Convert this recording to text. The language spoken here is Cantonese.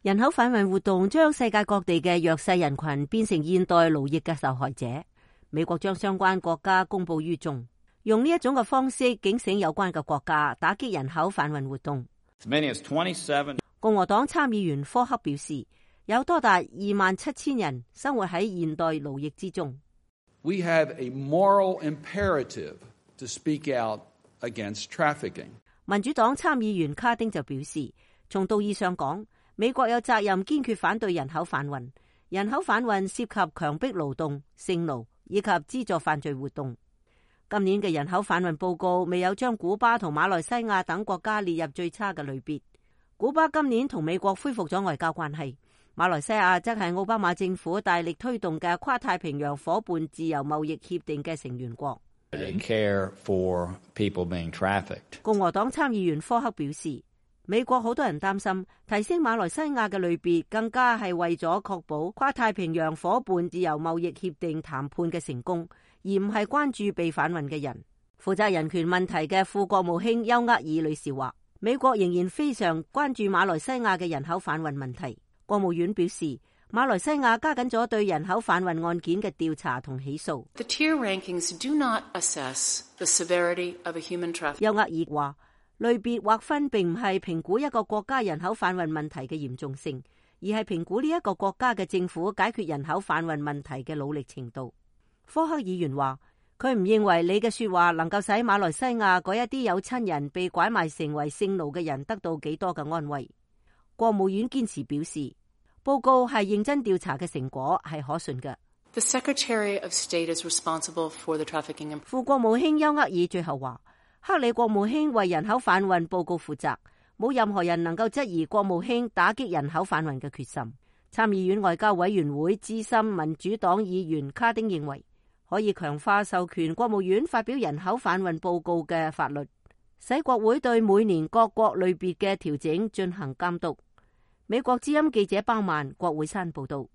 人口販運活動將世界各地嘅弱勢人群變成現代奴役嘅受害者。美國將相關國家公布於眾，用呢一種嘅方式警醒有關嘅國家，打擊人口販運活動。共和黨參議員科克表示，有多達27,000人生活喺現代奴役之中。We have a moral imperative to speak out against trafficking. 民主黨參議員卡丁就表示，從道義上講，美國有責任堅決反對人口販運。人口販運涉及強迫勞動、性奴以及資助犯罪活動。今年嘅人口販運報告未有將古巴同馬來西亞等國家列入最差嘅類別。古巴今年同美國恢復咗外交關係，馬來西亞則係奧巴馬政府大力推動嘅跨太平洋夥伴自由貿易協定嘅成員國。共和黨參議員科克表示，美國好多人擔心提升馬來西亞嘅類別，更加係為咗確保跨太平洋夥伴自由貿易協定談判嘅成功，而唔係關注被販運嘅人。負責人權問題嘅副國務卿丘厄爾女士話，美國仍然非常關注馬來西亞嘅人口販運問題。國務院表示，馬來西亞加緊咗對人口販運案件嘅調查同起訴。The tier rankings do not assess the severity of a human trafficking. 丘厄爾話，類別劃分並唔係評估一個國家人口販運問題嘅嚴重性，而係評估呢一個國家嘅政府解決人口販運問題嘅努力程度。科克議員話，佢唔認為你嘅說話能夠使馬來西亞嗰一啲有親人被拐賣成為性奴嘅人得到幾多嘅安慰。國務院堅持表示，報告係認真調查嘅成果，係可信嘅。The Secretary of State is responsible for the trafficking. 副國務卿丘厄爾最後話，克里國務卿為人口販運報告負責，冇任何人能夠質疑國務卿打擊人口販運嘅決心。參議院外交委員會資深民主黨議員卡丁認為，可以強化授權國務院發表人口販運報告嘅法律，使國會對每年各國類別嘅調整進行監督。美國之音記者包曼，國會山報道。